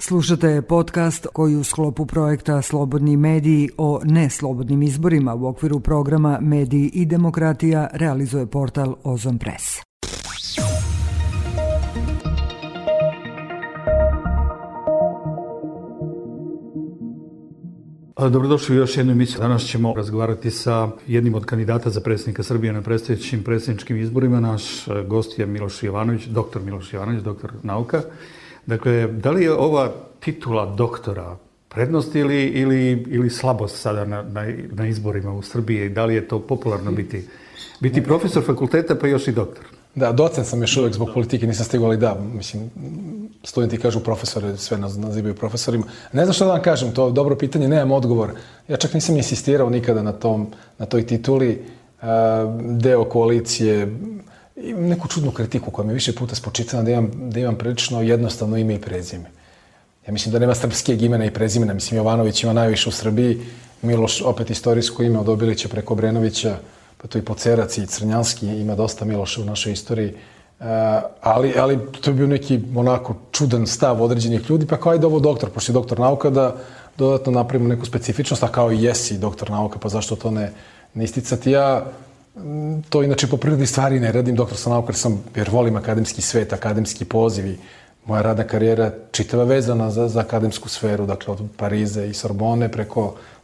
Slušate podcast koji u sklopu projekta Slobodni mediji o neslobodnim izborima u okviru programa Mediji i demokratija realizuje portal Ozon Press. Dobrodošli u još jednu emisiju. Danas ćemo razgovarati sa jednim od kandidata za predsjednika Srbije na predstojećim predsjedničkim izborima. Naš gost je Miloš Jovanović, doktor nauka. Dakle, da li je ova titula doktora prednost ili slabost sada na izborima u Srbiji? Da li je to popularno biti profesor fakulteta pa još i doktor? Da, docent sam još uvijek zbog politike, nisam stigao, ali da, mislim, studenti kažu profesore, sve nas nazivaju profesorima. Ne znam što da vam kažem, to je dobro pitanje, nemam odgovor. Ja čak nisam insistirao nikada na toj tituli. Deo koalicije, imam neku čudnu kritiku koja mi više puta spočitana da imam prilično jednostavno ime i prezime. Ja mislim da nema srpskijeg imena i prezimena. Mislim, Jovanović ima najviše u Srbiji, Miloš opet istorijsko ime od Obilića preko Obrenovića, pa to i Pocerac i Crnjanski, ima dosta Miloša u našoj istoriji. Ali to je bio neki onako čudan stav određenih ljudi, pa kao ajde ovo doktor, pošto je doktor nauka, da dodatno napravimo neku specifičnost, a kao i jesi doktor nauka, pa zašto to ne isticati. Ja to inače po prirodi stvari ne radim, doktor sam nauka jer volim akademski svet, akademski poziv. Moja radna karijera čitava vezana za akademsku sferu, dakle od Parize i Sorbone,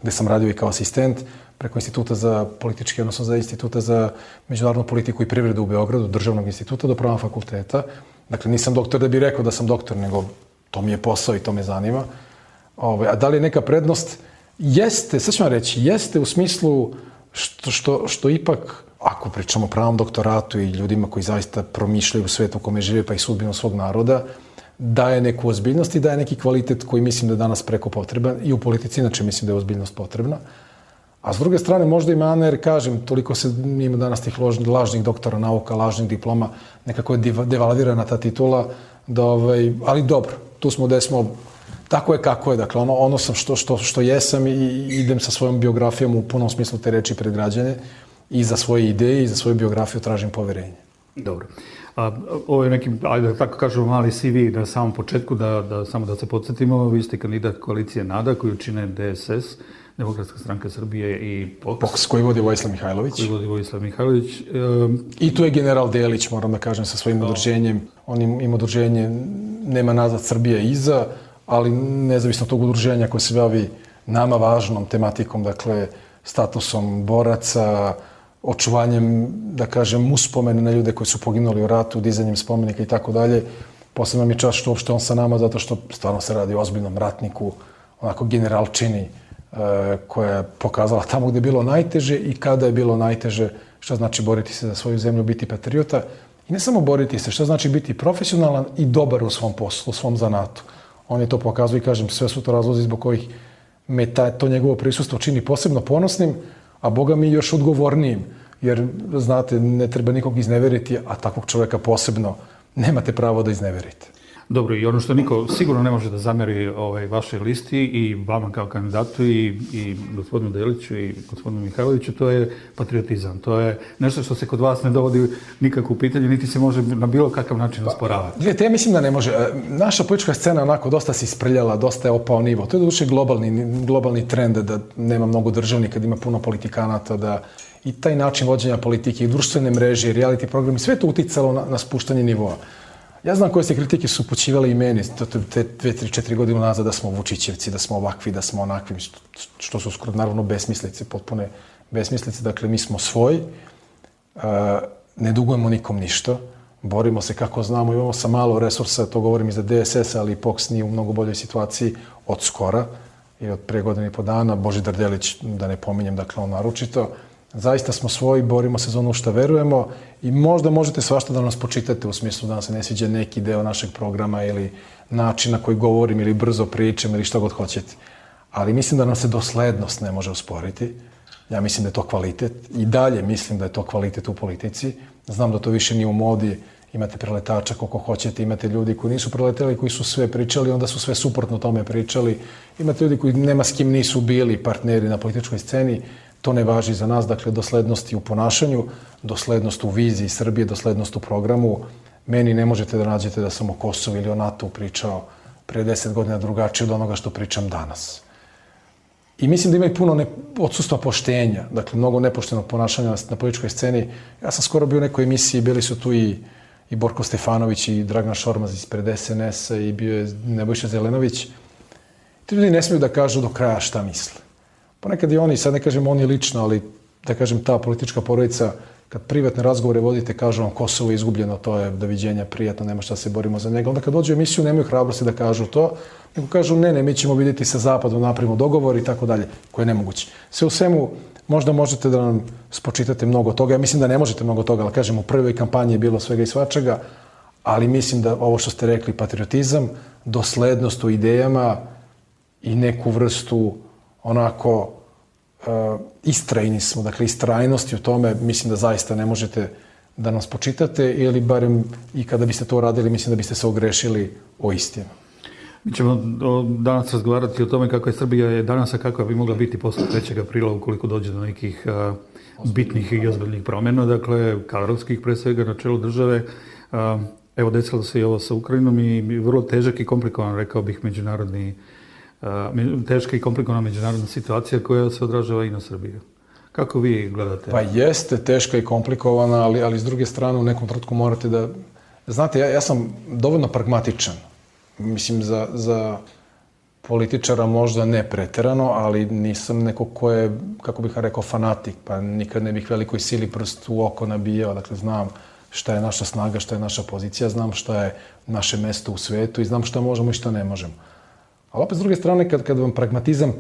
gde sam radio i kao asistent, preko Instituta za politički, odnosno za Instituta za međunarodnu politiku i privredu u Beogradu, državnog instituta, do Pravnog fakulteta. Dakle, nisam doktor da bih rekao da sam doktor, nego to mi je posao i to me zanima. A da li je neka prednost? Jeste, sad ću vam reći, jeste u smislu što ipak, ako pričamo o pravom doktoratu i ljudima koji zaista promišljaju u svetu u kome žive pa i sudbinu svog naroda, daje neku ozbiljnost i daje neki kvalitet koji mislim da je danas preko potreban i u politici, inače mislim da je ozbiljnost potrebna. A s druge strane, možda i mana, jer kažem, toliko se ima danas tih lažnih doktora nauka, lažnih diploma, nekako je devalvirana ta titula, ali dobro, tu smo gde smo, tako je kako je, dakle, ono sam što jesam i idem sa svojom biografijom u punom smislu te reči pred građane i za svoje ideje i za svoju biografiju tražim poverenje. Dobro. Ovo je neki, ajde da tako kažemo, mali CV na samom početku, samo da se podsjetimo, vi ste kandidat koalicije NADA koju čine DSS, Demokratska stranka Srbije i POKS. Koji vodi Vojislav Mihajlović. I tu je general Delić, moram da kažem, sa svojim udruženjem. On ima udruženje Nema nazad Srbije iza, ali nezavisno tog udruženja koje se bavi nama važnom tematikom, dakle, statusom boraca, očuvanjem, da kažem, uspomene na ljude koji su poginuli u ratu, dizanjem spomenika i tako dalje. Posebno mi je čast što uopšte on sa nama, zato što stvarno se radi o ozbiljnom ratniku, onako generalčini, koja je pokazala tamo gde je bilo najteže i kada je bilo najteže, šta znači boriti se za svoju zemlju, biti patriota. I ne samo boriti se, šta znači biti profesionalan i dobar u svom poslu, u svom zanatu. On je to pokazao i kažem, sve su to razlozi zbog kojih me to njegovo prisustvo čini posebno ponosnim, a Boga mi još odgovornijim. Jer, znate, ne treba nikog izneveriti, a takvog čoveka posebno nemate pravo da izneverite. Dobro, i ono što niko sigurno ne može da zameri vašoj listi i vama kao kandidatu i gospodinu Deliću i gospodinu Mihajloviću, to je patriotizam. To je nešto što se kod vas ne dovodi nikako u pitanje, niti se može na bilo kakav način osporavati. Gledajte, ja mislim da ne može. Naša politička scena onako dosta se isprljala, dosta je opao nivo. To je doduše globalni trend da nema mnogo državnika, da ima puno politikanata, da i taj način vođenja politike i društvene mreže i reality programi, sve to uticalo na spuštanje nivoa. Ja znam koje se kritike su upućivale i meni te 2-3-4 godine nazad da smo Vučićevci, da smo ovakvi, da smo onakvi, što su skoro naravno besmislice, potpune besmislice. Dakle, mi smo svoji, ne dugujemo nikom ništa, borimo se kako znamo, imamo sa malo resursa, to govorim i za DSS, ali POKS nije u mnogo boljoj situaciji od skora i od pre godine i po dana. Božidar Delić, da ne pominjem, dakle on naročito. Zaista smo svoji, borimo se za ono što verujemo i možda možete svašta da nas počitate u smislu da nam se ne sviđa neki deo našeg programa ili načina koji govorim ili brzo pričam ili šta god hoćete. Ali mislim da nam se doslednost ne može usporiti. Ja mislim da je to kvalitet i dalje mislim da je to kvalitet u politici. Znam da to više nije u modi, imate preletača koliko hoćete, imate ljudi koji nisu preleteli, koji su sve pričali, onda su sve suprotno tome pričali. Imate ljudi koji nema s kim nisu bili partneri na političkoj sceni. To ne važi za nas, dakle, doslednost u ponašanju, doslednost u viziji Srbije, doslednost u programu. Meni ne možete da nađete da sam o Kosovu ili o NATO pričao pre 10 godina drugačije od onoga što pričam danas. I mislim da ima i puno odsustva poštenja, dakle, mnogo nepoštenog ponašanja na političkoj sceni. Ja sam skoro bio u nekoj emisiji, bili su tu i Borko Stefanović i Dragan Šormaz ispred SNS-a i bio je Nebojša Zelenović. Ti ljudi ne smiju da kažu do kraja šta misle. Ponekad i oni, sad ne kažem oni lično, ali da kažem ta politička porodica, kad privatne razgovore vodite, kažu vam Kosovo je izgubljeno, to je doviđenja, prijatno, nema šta se borimo za njega. Onda kad dođu u emisiju, nemaju hrabrosti da kažu to, nego kažu ne, mi ćemo vidjeti sa Zapadom, napravimo dogovor i tako dalje, koje je nemoguće. Sve u svemu, možda možete da nam spočitate mnogo toga. Ja mislim da ne možete mnogo toga, ali kažem, u prvoj kampanji je bilo svega i svačega, ali mislim da ovo što ste rekli, patriotizam, doslednost u idejama i neku vrstu onako istrajni smo, dakle istrajnosti u tome, mislim da zaista ne možete da nas spočitate ili barem i kada biste to radili, mislim da biste se ogrešili o istinu. Mi ćemo danas razgovarati o tome kako je Srbija danas, a kakva bi mogla biti posle 3. aprila ukoliko dođe do nekih bitnih i ozbiljnih promjena, dakle kadrovskih pre svega na čelu države. Evo, desilo se i ovo sa Ukrajinom i vrlo težak i komplikovan, rekao bih, teška i komplikovana međunarodna situacija koja se odražava i na Srbiju. Kako vi gledate? Pa jeste teška i komplikovana, ali s druge strane u nekom trenutku morate da... Znate, ja sam dovoljno pragmatičan. Mislim, za političara možda ne preterano, ali nisam neko ko je, kako bih rekao, fanatik, pa nikad ne bih velikoj sili prst u oko nabijao. Dakle, znam šta je naša snaga, šta je naša pozicija, znam šta je naše mesto u svetu i znam šta možemo i šta ne možemo. Ali opet, s druge strane, kad vam pragmatizam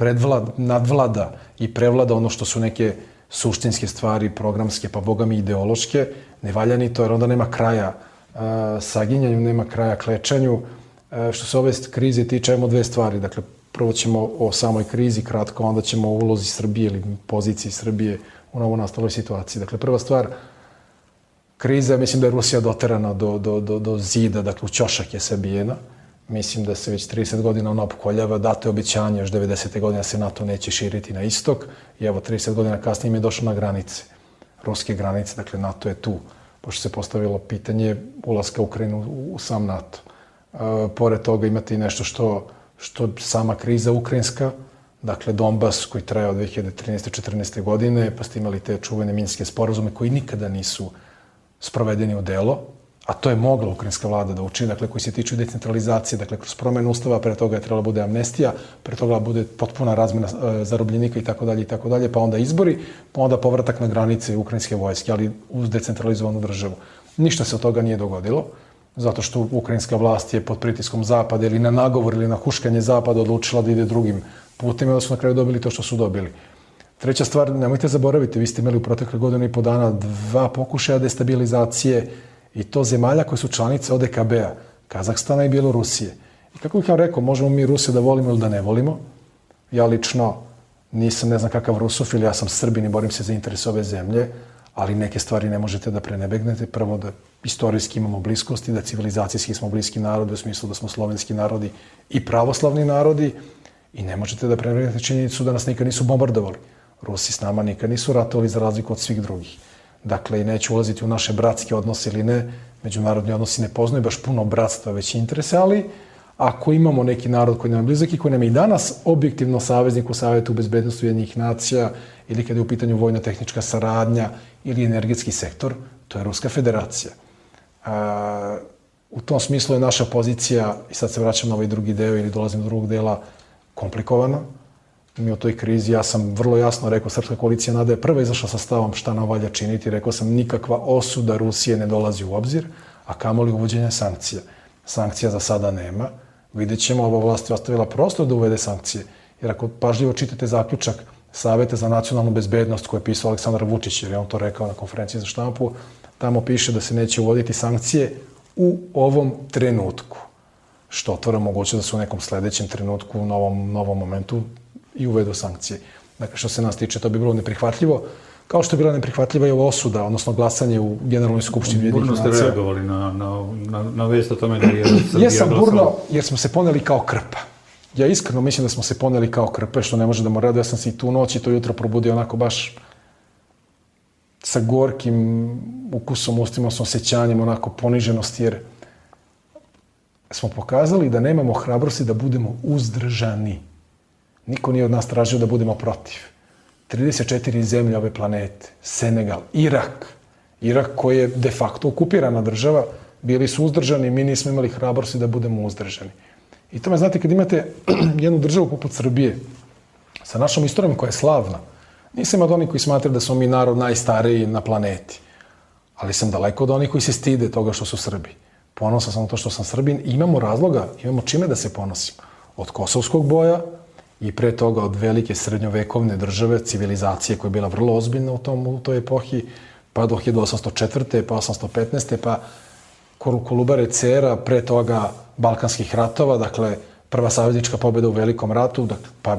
nadvlada i prevlada ono što su neke suštinske stvari, programske, pa boga mi ideološke, ne valja ni to, jer onda nema kraja saginjanju, nema kraja klečanju. Što se ove krize tiče, imamo dve stvari. Dakle, prvo ćemo o samoj krizi kratko, onda ćemo o ulozi Srbije ili poziciji Srbije u novonastaloj situaciji. Dakle, prva stvar, kriza, mislim da je Rusija doterana do zida, dakle, u ćošak je sabijena. Mislim da se već 30 godina ona opkoljava, dato je obećanje još 90. godine da se NATO neće širiti na istok i evo 30 godina kasnije im je došlo na granice, ruske granice, dakle NATO je tu, pošto se postavilo pitanje ulaska Ukrajine u sam NATO. Pored toga imate i nešto što sama kriza ukrajinska, dakle Donbas koji traje od 2013-14. godine, pa ste imali te čuvene minske sporazume koji nikada nisu sprovedeni u delo, a to je mogla ukrajinska vlada da učini, dakle, koji se tiču decentralizacije, dakle, kroz promjenu ustava, pre toga je trebala bude amnestija, pre toga bude potpuna razmjena zarobljenika i tako dalje, pa onda izbori, pa onda povratak na granice ukrajinske vojske, ali uz decentralizovanu državu. Ništa se od toga nije dogodilo, zato što ukrajinska vlast je pod pritiskom Zapada ili na nagovor ili na huškanje Zapada odlučila da ide drugim putem i onda su na kraju dobili to što su dobili. Treća stvar, nemojte zaboraviti, vi ste imali u protekle godinu i po dana 2 pokušaja destabilizacije i to zemalja koje su članice ODKB-a, Kazahstana i Bjelorusije. I kako bih vam rekao, možemo mi Rusiju da volimo ili da ne volimo. Ja lično nisam ne znam kakav rusofil, ja sam Srbin i borim se za interes ove zemlje, ali neke stvari ne možete da prenebegnete. Prvo da istorijski imamo bliskosti, da civilizacijski smo bliski narodi, u smislu da smo slovenski narodi i pravoslavni narodi i ne možete da prenebegnete činjenicu da nas nikad nisu bombardovali. Rusi s nama nikad nisu ratovali za razliku od svih drugih. Dakle, i neću ulaziti u naše bratske odnose ili ne, međunarodni odnosi ne poznaju baš puno bratstva, već interese, ali ako imamo neki narod koji nam je blizak i koji nam je i danas objektivno saveznik u Savetu bezbednosti Ujedinjenih nacija ili kada je u pitanju vojno-tehnička saradnja ili energetski sektor, to je Ruska federacija. U tom smislu je naša pozicija, i sad se vraćam na ovaj drugi deo ili dolazim do drugog dela, komplikovana. Mi u toj krizi, ja sam vrlo jasno rekao, Srpska koalicija NADA je prva izašla sa stavom šta nam valja činiti. Rekao sam, nikakva osuda Rusije ne dolazi u obzir, a kamoli uvođenje sankcija. Sankcija za sada nema. Vidjet ćemo, ova vlast je ostavila prostor da uvede sankcije. Jer ako pažljivo čitate zaključak Saveta za nacionalnu bezbednost koje je pisao Aleksandar Vučić, jer je on to rekao na konferenciji za štampu, tamo piše da se neće uvoditi sankcije u ovom trenutku. Što otvara moguće da se u nekom sledećem trenutku, u novom momentu, i uvedu sankcije. Dakle, što se nas tiče, to bi bilo neprihvatljivo, kao što je bila neprihvatljiva i ova osuda, odnosno glasanje u Generalnoj skupštini Ujedinjenih nacija. Burno ste reagovali na vest o tome da je Srbija Jesam burno, jer smo se poneli kao krpa. Ja iskreno mislim da smo se poneli kao krpe, što ne može da mu radi. Ja sam se i tu noć i to jutro probudio onako baš sa gorkim ukusom, ustima, s osjećanjem, onako poniženosti, jer smo pokazali da nemamo hrabrosti da budemo uzdržani. Niko nije od nas tražio da budemo protiv. 34 zemlje ove planete, Senegal, Irak koji je de facto okupirana država, bili su uzdržani, mi nismo imali hrabrosti da budemo uzdržani. I tome, znate, kad imate jednu državu poput Srbije, sa našom istorijom koja je slavna, nisam od onih koji smatraju da smo mi narod najstariji na planeti, ali sam daleko od onih koji se stide toga što su Srbi. Ponosan sam na to što sam Srbin i imamo razloga, imamo čime da se ponosimo. Od kosovskog boja i pre toga od velike srednjovekovne države, civilizacije koja je bila vrlo ozbiljna u toj epohi, pa do 1804. pa 1815. pa Kolubare Cera, pre toga Balkanskih ratova, dakle prva saveznička pobjeda u Velikom ratu, dakle, pa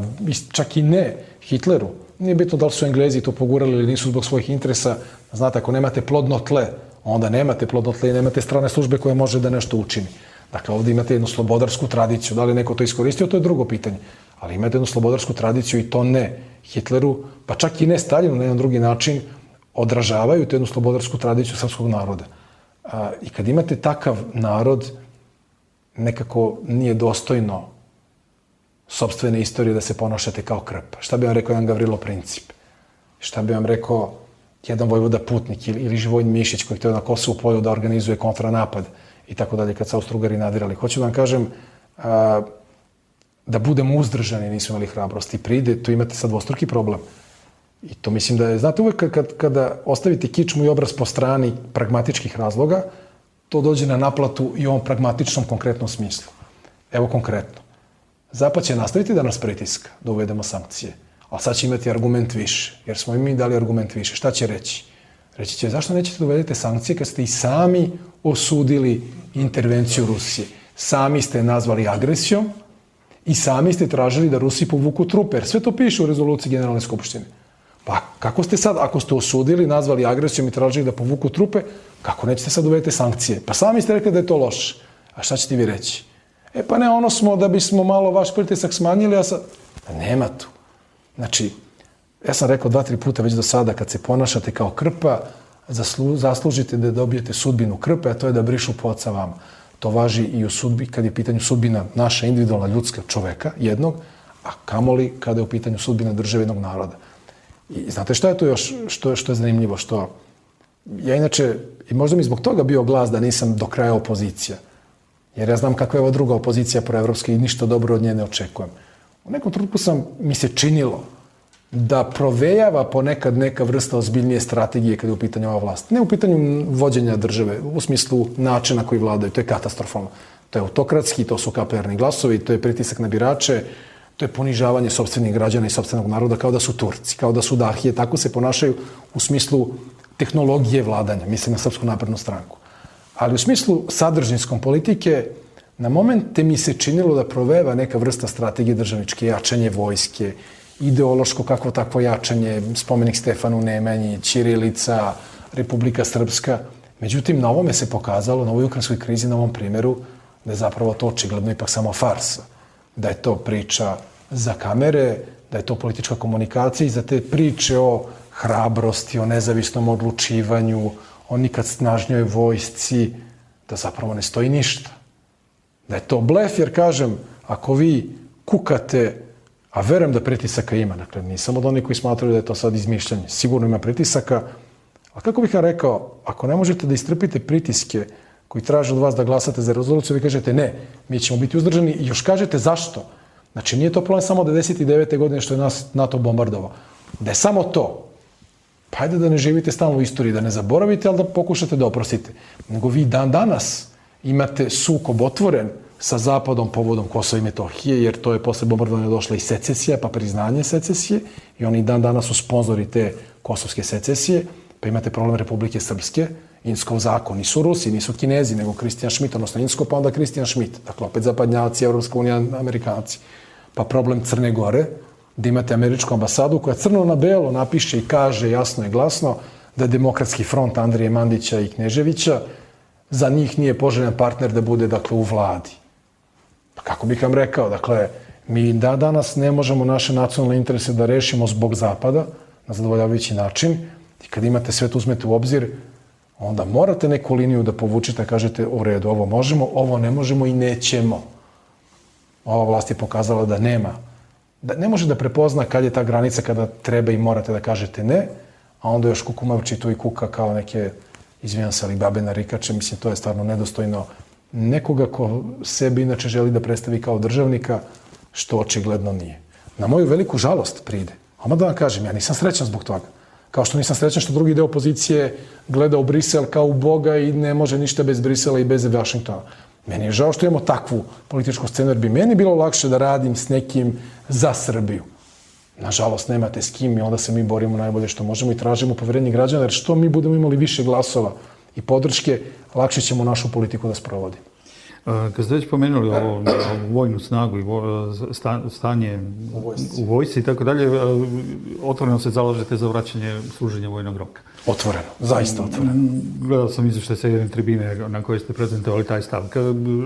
čak i ne Hitleru. Nije bitno da li su Englezi to pogurali ili nisu zbog svojih interesa. Znate, ako nemate plodno tle, onda nemate plodno tle i nemate strane službe koje može da nešto učini. Dakle, ovdje imate jednu slobodarsku tradiciju. Da li neko to iskoristio, to je drugo pitanje. Ali imate jednu slobodarsku tradiciju i to ne Hitleru, pa čak i ne Staljinu na jedan drugi način, odražavaju tu jednu slobodarsku tradiciju srpskog naroda. I kad imate takav narod, nekako nije dostojno sopstvene istorije da se ponašate kao krp. Šta bi vam rekao jedan Gavrilo Princip? Šta bi vam rekao jedan Vojvoda Putnik ili Živojin Mišić koji htio na Kosovu polju da organizuje kontranapad i tako dalje kad su Austro-Ugari nadirali? Hoću da vam kažem da budemo uzdržani, nismo imali hrabrosti. Pride, tu imate sad dvostruki problem. I to mislim da je, znate, uvek kada ostavite kičmu i obraz po strani pragmatičkih razloga, to dođe na naplatu i u ovom pragmatičnom konkretnom smislu. Evo konkretno. Zapad će nastaviti da nas pritiska, da uvedemo sankcije, ali sad će imati argument više, jer smo i mi dali argument više. Šta će reći? Reći će, zašto nećete da uvedete sankcije kad ste i sami osudili intervenciju Rusije? Sami ste nazvali agresijom i sami ste tražili da Rusi povuku trupe, jer sve to piše u rezoluciji Generalne skupštine. Pa kako ste sad, ako ste osudili, nazvali agresijom i tražili da povuku trupe, kako nećete sad uvedete sankcije? Pa sami ste rekli da je to loše. A šta ćete vi reći? Pa ne, ono smo da bismo malo vaš pritisak smanjili, a sad... Pa nema tu. Znači, ja sam rekao 2-3 puta već do sada, kad se ponašate kao krpa, zaslužite da dobijete sudbinu krpe, a to je da brišu pod sa vama. To važi i u sudbi, kad je u pitanju sudbina naša individualna ljudska čoveka, jednog, a kamoli kada je u pitanju sudbina države jednog naroda. I znate šta je to još, što je zanimljivo, što ja inače, i možda mi zbog toga bio glas da nisam do kraja opozicija, jer ja znam kakva je ova druga opozicija proevropska i ništa dobro od nje ne očekujem. U nekom trenutku mi se činilo da provejava ponekad neka vrsta ozbiljnije strategije kada je u pitanju ova vlast. Ne u pitanju vođenja države, u smislu načina koji vladaju, to je katastrofalno. To je autokratski, to su KPR-ni glasovi, to je pritisak na birače, to je ponižavanje sopstvenih građana i sopstvenog naroda kao da su Turci, kao da su Dahije, tako se ponašaju u smislu tehnologije vladanja, mislim na Srpsku naprednu stranku. Ali u smislu sadržinskom politike, na momente mi se činilo da proveva neka vrsta strategije državničke, jačanje vojske, ideološko kakvo takvo jačanje, spomenik Stefanu Nemanji, ćirilica, Republika Srpska. Međutim, na ovome se pokazalo, na ovoj ukrajinskoj krizi, na ovom primjeru, da je zapravo to očigledno ipak samo farsa. Da je to priča za kamere, da je to politička komunikacija i za te priče o hrabrosti, o nezavisnom odlučivanju, o nikad snažnjoj vojsci, da zapravo ne stoji ništa. Da je to blef, jer kažem, ako vi kukate, a verujem da pritisaka ima, dakle, nisam od onih koji smatraju da je to sad izmišljanje, sigurno ima pritisaka, a kako bih ja rekao, ako ne možete da istrpite pritiske koji traže od vas da glasate za rezoluciju, vi kažete ne, mi ćemo biti uzdržani i još kažete zašto. Znači, nije to problem samo 1999. godine što je nas NATO bombardovao. Da je samo to, pa ajde da ne živite stalno u istoriji, da ne zaboravite, ali da pokušate da oprostite. Nego vi dan danas imate sukob otvoren sa Zapadom povodom Kosova i Metohije, jer to je posle bombardovanja došla i secesija, pa priznanje secesije, i oni dan danas su sponzori te kosovske secesije, pa imate problem Republike Srpske, Inskov zakon, nisu Rusi, nisu Kinezi, nego Kristijan Šmit, odnosno Insko, pa onda Kristijan Šmit, dakle opet zapadnjaci, Evropska unija, Amerikanci. Pa problem Crne Gore, da imate američku ambasadu koja crno na belo napiše i kaže jasno i glasno da Demokratski front Andrije Mandića i Kneževića za njih nije poželjan partner da bude, dakle, u vladi. Pa kako bih vam rekao, dakle, mi danas ne možemo naše nacionalne interese da rešimo zbog Zapada na zadovoljavajući način i kad imate sve to uzmete u obzir, onda morate neku liniju da povučete, kažete u redu, ovo možemo, ovo ne možemo i nećemo. Ova vlast je pokazala da nema, da ne može da prepozna kad je ta granica kada treba i morate da kažete ne, a onda još kukumavči tu i kuka kao neke, izvijem se, ali babe narikače, mislim, to je stvarno nedostojno nekoga ko sebi inače želi da predstavi kao državnika, što očigledno nije. Na moju veliku žalost pride. Oma da vam kažem, ja nisam srećan zbog toga. Kao što nisam srećan što drugi deo opozicije gleda u Brisel kao u Boga i ne može ništa bez Brisela i bez Vašingtona. Meni je žao što imamo takvu političku scenu, jer bi meni bilo lakše da radim s nekim za Srbiju. Nažalost, nemate s kim i onda se mi borimo najbolje što možemo i tražimo poverenje građana, jer što mi budemo imali više glasova i podrške, lakše ćemo našu politiku da sprovodimo. Kad ste već pomenuli ovo vojnu snagu i stanje u vojsci i tako dalje, otvoreno se zalažete za vraćanje služenja vojnog roka. Otvoreno, zaista otvoreno. Gledao sam izveštaj sa jedne tribine na kojoj ste prezentovali taj stav.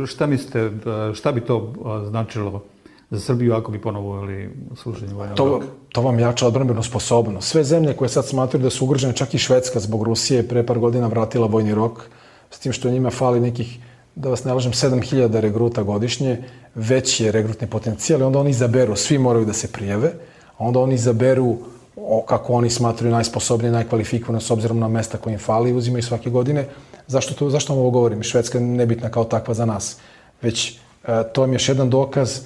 Šta mislite, šta bi to značilo za Srbiju ako bi ponovo uveli služenje vojnog roka? To vam jača odbrambenu sposobnost. Sve zemlje koje sad smatruju da su ugrožene, čak i Švedska zbog Rusije, pre par godina vratila vojni rok, s tim što njima fali nekih, da vas ne lažem, 7000 regruta godišnje, veći je regrutni potencijal i onda oni izaberu, svi moraju da se prijave, a onda oni izaberu kako oni smatruju najsposobnije, najkvalifikovane s obzirom na mesta koje im fali i uzimaju svake godine. Zašto vam ovo govorim? Švedska je nebitna kao takva za nas. Već to je još jedan dokaz,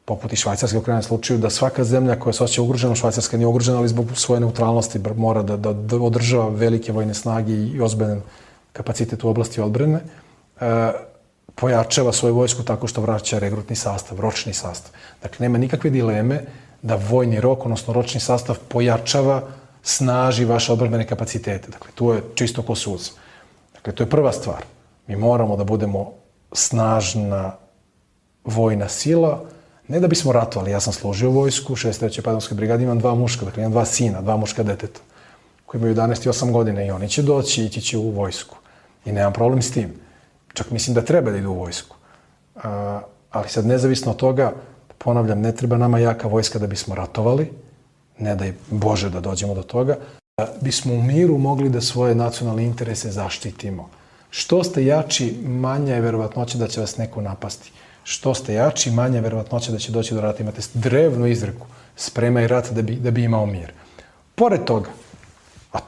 poput i Švajcarske u krajnjem slučaju, da svaka zemlja koja se osjeća ugrožena, Švajcarska nije ugrožena, ali zbog svoje neutralnosti mora da održava velike vojne snage i ozbiljan kapacitet u oblasti odbrane, pojačava svoju vojsku tako što vraća regrutni sastav, ročni sastav. Dakle, nema nikakve dileme da vojni rok, odnosno ročni sastav, pojačava, snaži vaše odbrambene kapacitete. Dakle, tu je čisto ko suza. Dakle, to je prva stvar. Mi moramo da budemo snažna vojna sila, ne da bismo ratovali. Ja sam služio vojsku, 63. padonskoj brigadi, imam 2 muška, dakle imam 2 sina, 2 muška deteta, koji imaju 11 i 8 godina i oni će doći i ići će u vojsku. I nemam problem s tim. Čak mislim da treba da idu u vojsku. Ali sad nezavisno od toga, ponavljam, ne treba nama jaka vojska da bismo ratovali, ne daj Bože da dođemo do toga, da bismo u miru mogli da svoje nacionalne interese zaštitimo. Što ste jači, manja je verovatnoća da će vas neko napasti. Što ste jači, manja je verovatnoća da će doći do rata. Imate drevnu izreku, spremaj rat da bi imao mir. Pored toga, a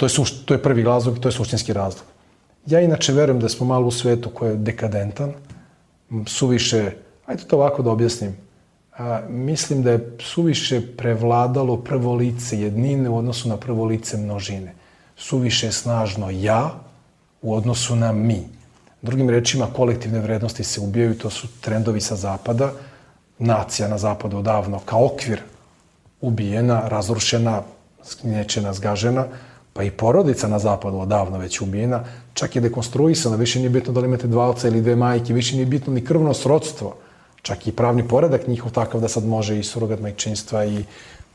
to je prvi razlog i to je suštinski razlog. Ja inače verujem da smo malo u svetu koji je dekadentan, suviše, ajde to ovako da objasnim, mislim da je suviše prevladalo prvo lice jednine u odnosu na prvo lice množine. Suviše snažno ja u odnosu na mi. Drugim rečima, kolektivne vrednosti se ubijaju, to su trendovi sa zapada, nacija na zapadu odavno kao okvir ubijena, razrušena, sknječena, zgažena, pa i porodica na zapadu odavno već ubijena, čak je dekonstruisana, više nije bitno da li imate 2 oca ili 2 majke, više nije bitno ni krvno srodstvo, čak i pravni poredak njihov takav da sad može i surogat majčinstva i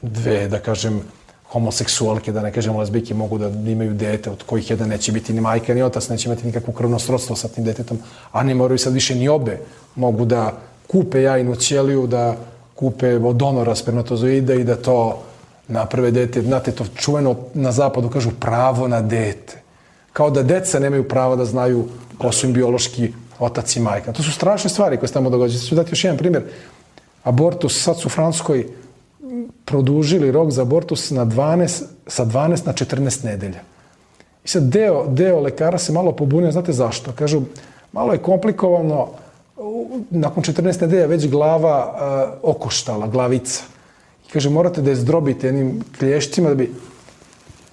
2, da kažem, homoseksualke, da ne kažem lezbijke, mogu da imaju dete, od kojih jedan neće biti ni majka ni otac, neće imati nikakvo krvno srodstvo sa tim detetom, a ne moraju sad više ni obe. Mogu da kupe jajnu ćeliju, da kupe od donora spermatozoida i da to naprave dete. Znate, to čuveno na zapadu kažu pravo na dete. Kao da deca nemaju prava da znaju ko su im biološki otac i majka. To su strašne stvari koje se tamo događaju. Ću dati još jedan primjer. Abortus, sad su u Francuskoj produžili rok za abortus sa 12 na 14 nedelja. I sad deo lekara se malo pobunio, znate zašto? Kažu, malo je komplikovano, nakon 14 nedelja već glava okoštala, glavica. I kaže, morate da je zdrobite jednim klješćima da bi...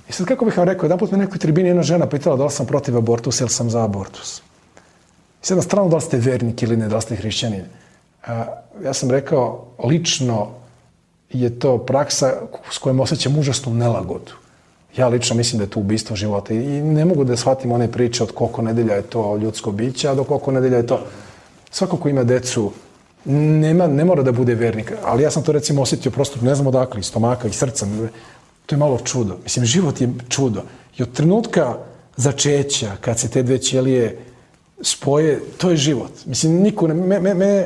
I sad kako bih vam rekao, jedan put me nekoj tribini jedna žena pitala da li sam protiv abortusa ili sam za abortus. I sad na stranu da li ste vernik ili ne, da li ste hrišćanin. Ja sam rekao, lično je to praksa s kojom osjećam užasnu nelagodu. Ja lično mislim da je to ubistvo života i ne mogu da shvatim one priče od koliko nedelja je to ljudsko biće, a do koliko nedelja je to... Svako ko ima decu ne mora da bude vernik, ali ja sam to recimo osjetio prosto, ne znam odakle, iz stomaka, iz srca. To je malo čudo. Mislim, život je čudo. I od trenutka začeća, kad se te 2 ćelije spoje, to je život. Mislim, niko ne...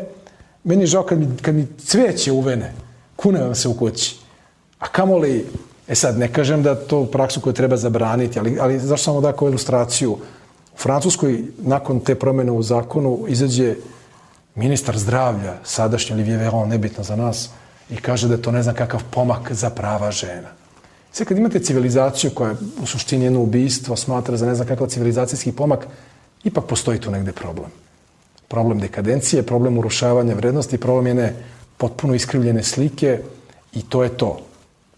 Meni je žao kad mi cveće uvene, kune vam se u kući. A kamoli, sad, ne kažem da to praksu koju treba zabraniti, ali zašto samo da kao ilustraciju, Francuskoj, nakon te promjene u zakonu, izađe ministar zdravlja, sadašnji Olivier Véran, nebitno za nas, i kaže da je to ne znam kakav pomak za prava žena. Sve kad imate civilizaciju koja u suštini jedno ubistvo smatra za ne znam kakav civilizacijski pomak, ipak postoji tu negde problem. Problem dekadencije, problem urušavanja vrednosti, problem jedne potpuno iskrivljene slike i to je to.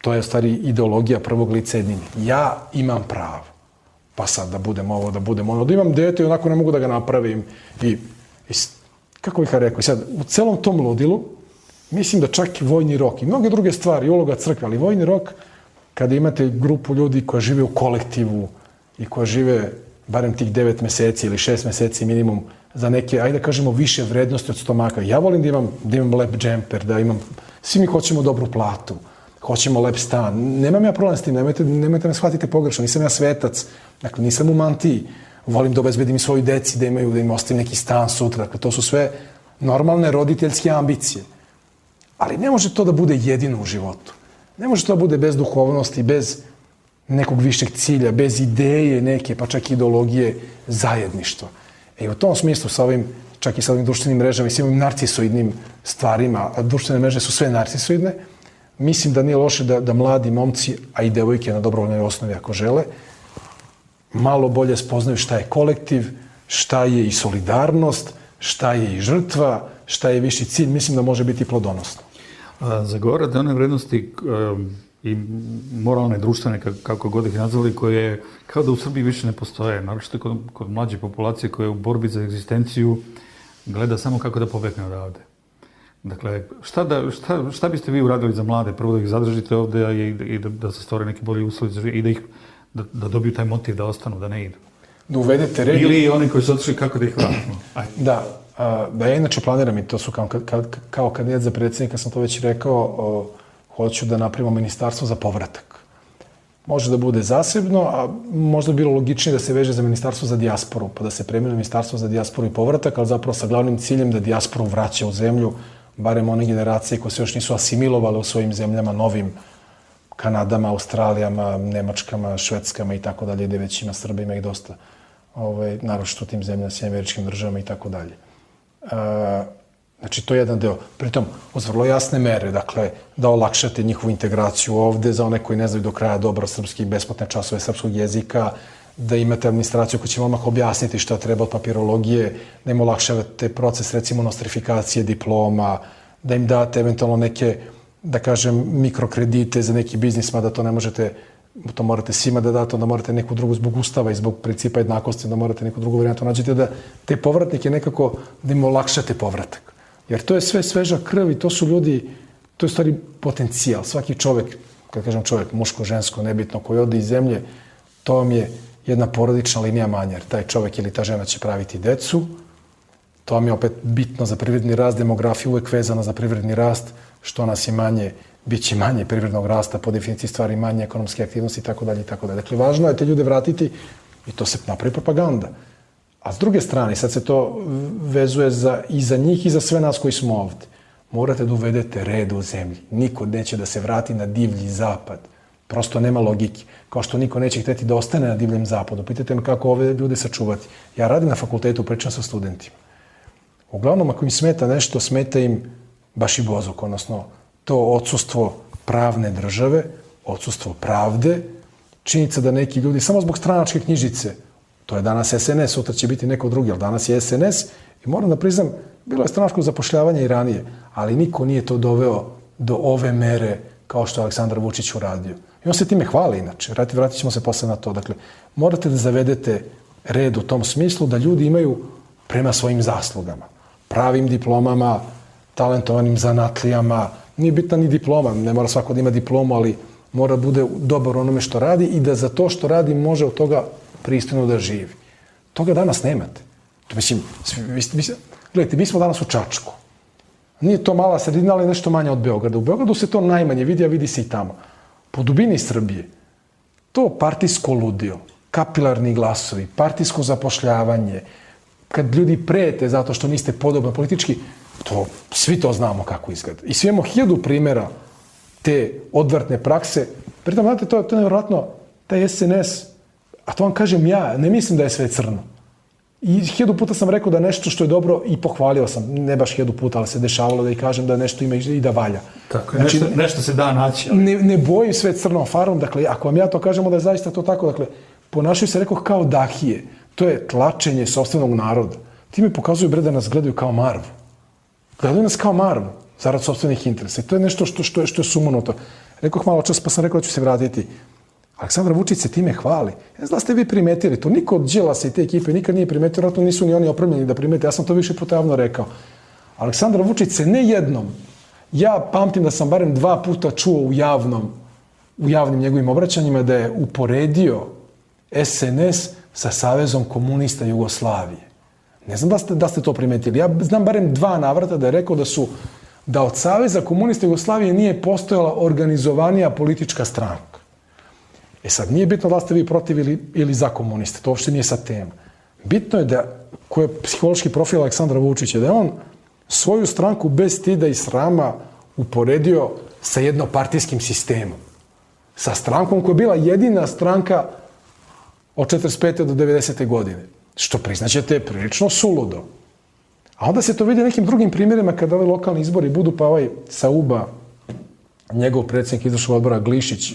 To je u stvari ideologija prvog lica jednine. Ja imam pravo. Pa sad da budem ovo, da budem ono. Da imam dete i onako ne mogu da ga napravim. I kako bih rekao, i sad u celom tom ludilu mislim da čak i vojni rok i mnoge druge stvari, uloga crkve, ali vojni rok, kada imate grupu ljudi koja žive u kolektivu i koja žive barem tih 9 meseci ili 6 meseci minimum za neke, ajde da kažemo, više vrednosti od stomaka. Ja volim da imam lep džemper, da imam, svi mi hoćemo dobru platu, hoćemo lep stan. Nemam ja problem s tim, nemojte me shvatite pogrešno, nisam ja svetac, dakle nisam u mantiji. Volim da obezbedim i svoju deci, da im ostavim neki stan sutra. Dakle, to su sve normalne roditeljske ambicije. Ali ne može to da bude jedino u životu. Ne može to da bude bez duhovnosti, bez nekog višeg cilja, bez ideje neke, pa čak i ideologije zajedništva. I u tom smislu, čak i sa ovim društvenim mrežama i svim ovim narcisoidnim stvarima, a društvene mreže su sve narcisoidne, mislim da nije loše da mladi momci, a i devojke na dobrovoljnoj osnovi ako žele, malo bolje spoznaju šta je kolektiv, šta je i solidarnost, šta je i žrtva, šta je viši cilj, mislim da može biti plodonosno. Zagovarate one vrednosti i moralne, društvene, kako god ih nazvali, koje kao da u Srbiji više ne postoje, naročito kod mlađe populacije koja je u borbi za egzistenciju gleda samo kako da pobegne odavde. Dakle, šta biste vi uradili za mlade? Prvo da ih zadržite ovde i da se stvore neki bolji uslovi i da dobiju taj motiv da ostanu, da ne idu. Da uvedete red. Ili oni koji su otišli, kako da ih vratimo? Da ja inače planiram i to su kao kandidat za predsjednika, sam to već rekao, hoću da napravimo ministarstvo za povratak. Može da bude zasebno, a možda bi bilo logičnije da se veže za ministarstvo za dijasporu, pa da se preimenuje ministarstvo za dijasporu i povratak, ali zapravo sa glavnim ciljem da dijasporu vraća u zemlju, barem one generacije koje se još nisu asimilovale u svojim zemljama, novim Kanadama, Australijama, Nemačkama, Švedskama i tako dalje, gde već ima Srba, ima ih dosta, naročito u tim zemljama, Sjedinjenim Američkim Državama i tako dalje. Znači, to je jedan deo. Pritom, uz vrlo jasne mere, dakle, da olakšate njihovu integraciju ovde, za one koji ne znaju do kraja dobro srpski, besplatne časove srpskog jezika, da imate administraciju koja će vam objasniti šta treba od papirologije, da im olakšavate proces, recimo, nostrifikacije diploma, da im date eventualno neke, da kažem, mikrokredite za neki biznis, mada to ne možete, to morate svima da date, onda morate neku drugu zbog ustava i zbog principa jednakosti, da morate neku drugu varijantu nađete, da te povratnike nekako, da im olakšate povratak. Jer to je sve sveža krv i to su ljudi, to je u stvari potencijal. Svaki čovek, kad kažem čovek, muško, žensko, nebitno, koji ode iz zemlje, to vam je jedna porodična linija manja. Jer taj čovek ili ta žena će praviti decu, to vam je opet bitno za privredni rast, demografija uvek vezana za privredni rast, što nas je manje, bit će manje privrednog rasta, po definiciji stvari manje ekonomske aktivnosti itd. itd. Dakle, važno je te ljude vratiti i to se napravi propaganda. A s druge strane, sad se to vezuje i za njih i za sve nas koji smo ovde. Morate da uvedete red u zemlji. Niko neće da se vrati na divlji zapad. Prosto nema logike. Kao što niko neće hteti da ostane na divljem zapadu. Pitajte me kako ove ljude sačuvati. Ja radim na fakultetu, pričam sa studentima. Uglavnom, ako im smeta nešto, smeta im baš i bozuk, odnosno to odsustvo pravne države, odsustvo pravde, činjenica da neki ljudi, samo zbog stranačke knjižice, to je danas SNS, sutra će biti neko drugi, ali danas je SNS i moram da priznam, bilo je stranačko zapošljavanje i ranije, ali niko nije to doveo do ove mere kao što je Aleksandar Vučić uradio. I on se time hvali inače, vratit ćemo se posle na to. Dakle, morate da zavedete red u tom smislu da ljudi imaju prema svojim zaslugama, pravim diplomama, talentovanim zanatlijama, nije bitna ni diploma, ne mora svako da ima diplomu, ali mora bude dobar onome što radi i da za to što radi može od toga pristojno da živi. Toga danas nemate. Mislim, gledajte, mi smo danas u Čačku. Nije to mala sredina, ali nešto manje od Beograda. U Beogradu se to najmanje vidi, a vidi se i tamo. Po dubini Srbije, to partijsko ludilo, kapilarni glasovi, partijsko zapošljavanje, kad ljudi prete zato što niste podobni politički, to, svi to znamo kako izgleda. I svi imamo 1000 primjera te odvrtne prakse. Pritom, znate, to je nevjerojatno, taj SNS, a to vam kažem ja, ne mislim da je sve crno. I 1000 puta sam rekao da nešto što je dobro i pohvalio sam, ne baš 1000 puta, ali se dešavalo da i kažem da nešto ima i da valja. Tako, znači, nešto se da naći. Ali... Ne boji sve crnom farom, dakle, ako vam ja to kažemo da je zaista to tako, dakle, ponašaju se, rekao, kao dahije. To je tlačenje sopstvenog naroda. Ti mi pokazuju, bre, da nas gledaju kao marvu. Gledaju nas kao marvu, zarad sopstvenih interesa. I to je nešto što je sumanuto. Rekao malo čas, pa sam rekao da ću se vratiti. Aleksandar Vučić se time hvali. Ne znam da ste vi primetili to. Niko od Đilasa i te ekipe nikad nije primetio, vjerojatno nisu ni oni opremljeni da primete. Ja sam to više puta javno rekao. Aleksandar Vučić se ne jednom, ja pamtim da sam barem 2 puta čuo u javnim njegovim obraćanjima da je uporedio SNS sa Savezom komunista Jugoslavije. Ne znam da ste to primetili. Ja znam barem 2 navrata da je rekao da od Saveza komunista Jugoslavije nije postojala organizovanija politička stranka. E sad, nije bitno da ste vi protiv ili za komuniste, to uopšte nije sad tema. Bitno je da, ko je psihološki profil Aleksandra Vučića, da je on svoju stranku bez stida i srama uporedio sa jednopartijskim sistemom. Sa strankom koja je bila jedina stranka od 45. do 90. godine. Što priznaćete je prilično suludo. A onda se to vidi nekim drugim primjerima kada ovi lokalni izbori budu, pa Sauba, njegov predsjednik izvršnog odbora Glišić,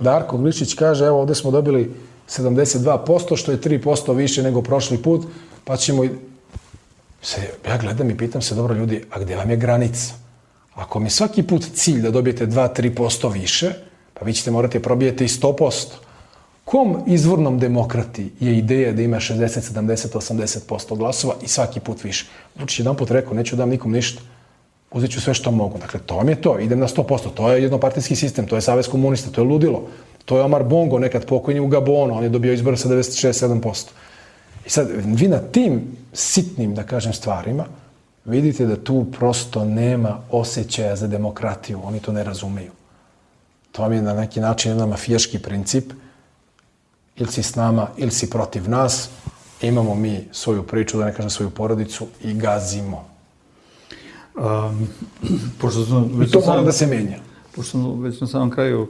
Darko Glišić kaže, evo ovdje smo dobili 72%, što je 3% više nego prošli put, pa ćemo... Ja gledam i pitam se, dobro ljudi, a gdje vam je granica? Ako mi svaki put cilj da dobijete 2-3% više, pa vi ćete morati probijeti i 100%. Kom izvornom demokrati je ideja da ima 60, 70, 80% glasova i svaki put više? Vučić jedan put rekao, neću dam nikom ništa. Uzet ću sve što mogu. Dakle, to vam je to. Idem na 100%. To je jednopartijski sistem. To je Savez komunista. To je ludilo. To je Omar Bongo, nekad pokojni u Gabonu. On je dobio izbore sa 96-7%. I sad, vi na tim sitnim, da kažem, stvarima vidite da tu prosto nema osjećaja za demokratiju. Oni to ne razumeju. To vam je na neki način jedan mafijaški princip. Ili si s nama, ili si protiv nas. Imamo mi svoju priču, da ne kažem svoju porodicu i gazimo. I to mora da se menja. Pošto već na samom kraju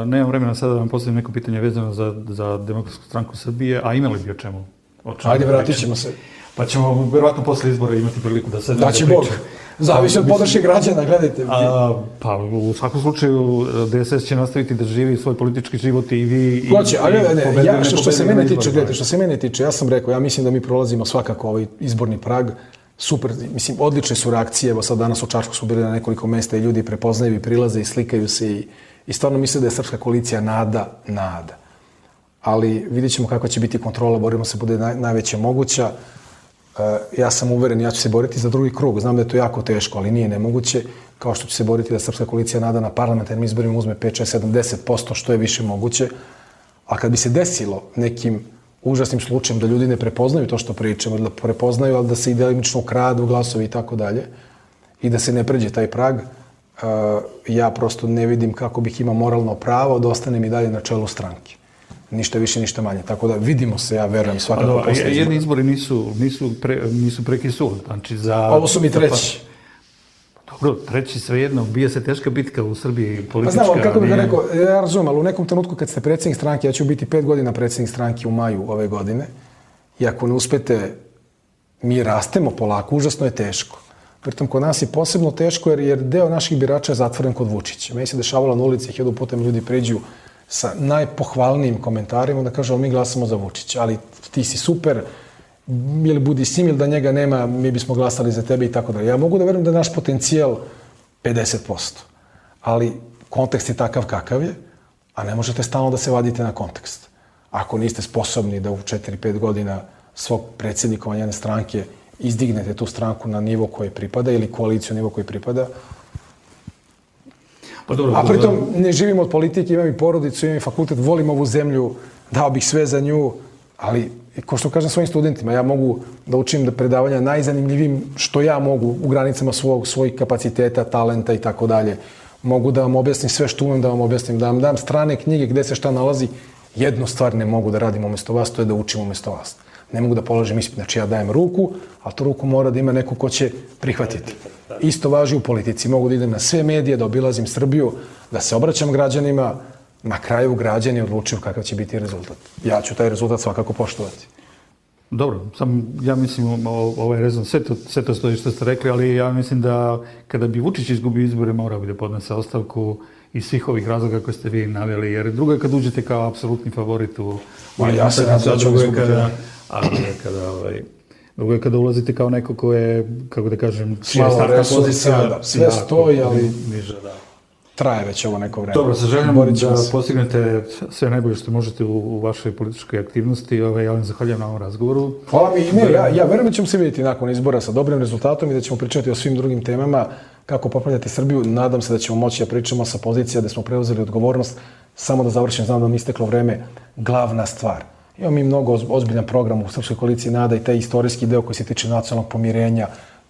nemam vremena sada da vam postavim neko pitanje vezano za Demokratsku stranku Srbije, a imali bi o čemu? Ajde, vratit ćemo se. Pa ćemo verovatno posle izbora imati priliku da sedemo. Daći Bog. Zavisi od podrške građana, gledajte. Pa u svakom slučaju DSS će nastaviti da živi svoj politički život i vi... Hoće, ali što se mene tiče, ja sam rekao, ja mislim da mi prolazimo svakako ovaj izborni prag. Super, mislim, odlične su reakcije. Evo sad danas u Čačku su bili na nekoliko mesta i ljudi prepoznaju i prilaze i slikaju se i stvarno misle da je Srpska koalicija nada. Ali vidjet ćemo kako će biti kontrola, borimo se bude najveća moguća. Ja sam uveren, ja ću se boriti za drugi krug. Znam da je to jako teško, ali nije nemoguće. Kao što će se boriti da Srpska koalicija nada na parlamentarnim izborima uzme 5-6-70%, što je više moguće. A kad bi se desilo nekim užasnim slučajem da ljudi ne prepoznaju to što pričamo, da prepoznaju, ali da se i delimično ukradu glasovi i tako dalje, i da se ne pređe taj prag, ja prosto ne vidim kako bih imao moralno pravo da ostanem i dalje na čelu stranke. Ništa više, ništa manje. Tako da vidimo se, ja verujem, svakako posle izbora. Jedni izbori nisu preki sud. Znači ovo su mi treći. Dobro, treći svejedno, bije se teška bitka u Srbiji politička. Pa znam, kako bih rekao, ja razumem, ali u nekom trenutku kad ste predsjednik stranke, ja ću biti 5 godina predsjednik stranke u maju ove godine, i ako ne uspete, mi rastemo polako, užasno je teško. Pritom, kod nas je posebno teško jer deo naših birača je zatvoren kod Vučića. Meni se dešavalo na ulici, 1000 puta mi ljudi priđu sa najpohvalnijim komentarima da kažu, mi glasamo za Vučića, ali ti si super, ili budi s njim, ili da njega nema, mi bismo glasali za tebe i tako dalje. Ja mogu da verujem da je naš potencijal 50%, ali kontekst je takav kakav je, a ne možete stalno da se vadite na kontekst. Ako niste sposobni da u 4-5 godina svog predsjednikovanja jedne stranke izdignete tu stranku na nivo koji pripada ili koaliciju na nivo koji pripada, a pritom ne živim od politike, imam i porodicu, imam i fakultet, volim ovu zemlju, dao bih sve za nju, ali, ko što kažem svojim studentima, ja mogu da učim da predavanja najzanimljivim što ja mogu u granicama svojih kapaciteta, talenta i tako dalje. Mogu da vam objasnim sve što umem da vam objasnim, da vam dam strane knjige gde se šta nalazi. Jednu stvar ne mogu da radim umjesto vas, to je da učim umjesto vas. Ne mogu da položim ispit, znači ja dajem ruku, a tu ruku mora da ima neko ko će prihvatiti. Isto važi u politici. Mogu da idem na sve medije, da obilazim Srbiju, da se obraćam građanima, Na kraju građani odlučuju kakav će biti rezultat. Ja ću taj rezultat svakako poštovati. Dobro, ja mislim ovaj rezon, sve to stoji što ste rekli, ali ja mislim da kada bi Vučić izgubio izbore, morao bi da podnese ostavku iz svih ovih razloga koje ste vi naveli, jer drugo je kad uđete kao apsolutni favorit u ja se nadam da ću izgubiti. Drugo je kada ulazite kao neko ko je, kako da kažem, mala resursa, sve stoji, ali niža, da. Traje već ovo neko vreme. Dobro, sa željom da postignete sve najbolje što možete u vašoj političkoj aktivnosti. Ja vam zahvaljujem na ovom razgovoru. Hvala mi. Ja verujem da ćemo se vidjeti nakon izbora sa dobrim rezultatom i da ćemo pričati o svim drugim temama kako popravljati Srbiju. Nadam se da ćemo moći da pričamo sa pozicija da smo preuzeli odgovornost. Samo da završim, znam da mi isteklo vreme. Glavna stvar. Imamo mi mnogo ozbiljan program u Srpskoj koaliciji NADA i taj istorijski deo koji se tiče nacionalnog pomirenja,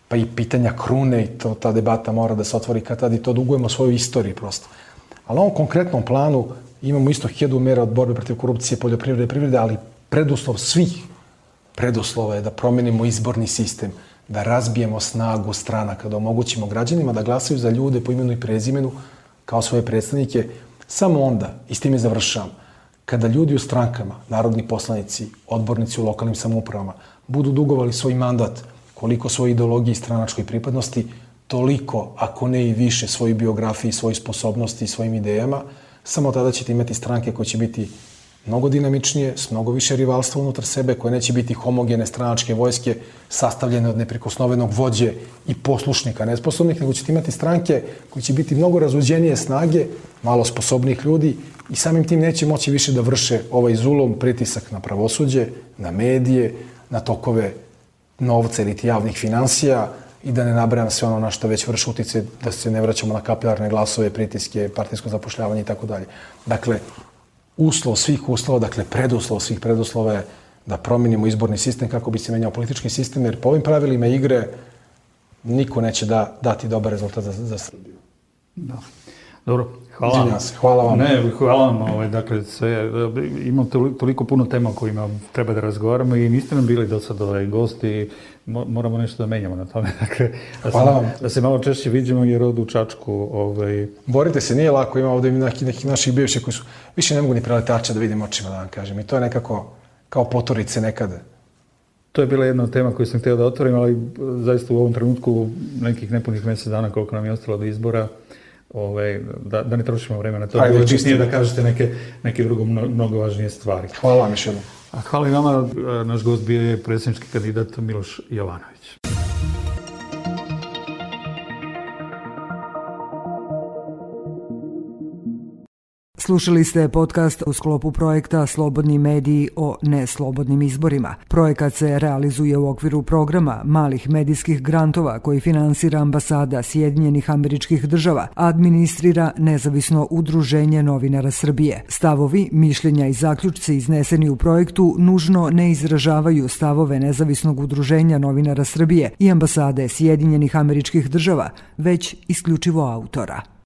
pa i pitanja krune i ta debata mora da se otvori kad tad i to dugujemo svojoj istoriji prosto. Ali na ovom konkretnom planu imamo isto 1000 mera od borbe protiv korupcije, poljoprivrede i privrede, ali preduslov svih preduslova je da promenimo izborni sistem, da razbijemo snagu stranaka, da omogućimo građanima da glasaju za ljude po imenu i prezimenu kao svoje predstavnike. Samo onda, i s time završavam, kada ljudi u strankama, narodni poslanici, odbornici u lokalnim samoupravama budu dugovali svoj mandat koliko svoje ideologije i stranačkoj pripadnosti, toliko, ako ne i više, svoje biografije, svoje sposobnosti i svojim idejama, samo tada ćete imati stranke koje će biti mnogo dinamičnije, s mnogo više rivalstva unutar sebe, koje neće biti homogene stranačke vojske sastavljene od neprikosnovenog vođe i poslušnika nesposobnih, nego ćete imati stranke koje će biti mnogo razuđenije snage, malo sposobnih ljudi i samim tim neće moći više da vrše ovaj zulom pritisak na pravosuđe, na medije, na tokove novca ili javnih finansija i da ne nabrajam sve ono na što već vrši uticaj, da se ne vraćamo na kapilarne glasove, pritiske, partijsko zapošljavanje i tako dalje. Dakle, uslov svih uslova, dakle preduslov svih preduslova je da promenimo izborni sistem kako bi se menjao politički sistem, jer po ovim pravilima igre niko neće dati dobar rezultat za Srbiju. Da. Dobro, hvala vam. Hvala vam. Hvala vam. Dakle, imam toliko puno tema o kojima treba da razgovaramo i niste nam bili do sad gosti. Moramo nešto da menjamo na tome. Dakle, da se malo češće vidimo jer ovdje u Čačku... Borite se, nije lako. Ima ovdje nekih naših bivših koji su... Više ne mogu ni preletača da vidim očima, da vam kažem. I to je nekako kao potorice nekada. To je bila jedna od tema koju sam htio da otvorim, ali zaista u ovom trenutku nekih nepunih mjesec dana koliko nam je ostalo do izbora, da ne trošimo vreme na to. Bilo čistije da kažete neke drugo mnogo važnije stvari. Hvala vam još jednom. Hvala i vama. Naš gost bio je predsjednički kandidat Miloš Jovanović. Slušali ste podcast u sklopu projekta Slobodni mediji o neslobodnim izborima. Projekat se realizuje u okviru programa malih medijskih grantova koji finansira ambasada Sjedinjenih Američkih Država, a administrira nezavisno udruženje novinara Srbije. Stavovi, mišljenja i zaključci izneseni u projektu nužno ne izražavaju stavove nezavisnog udruženja novinara Srbije i ambasade Sjedinjenih Američkih Država, već isključivo autora.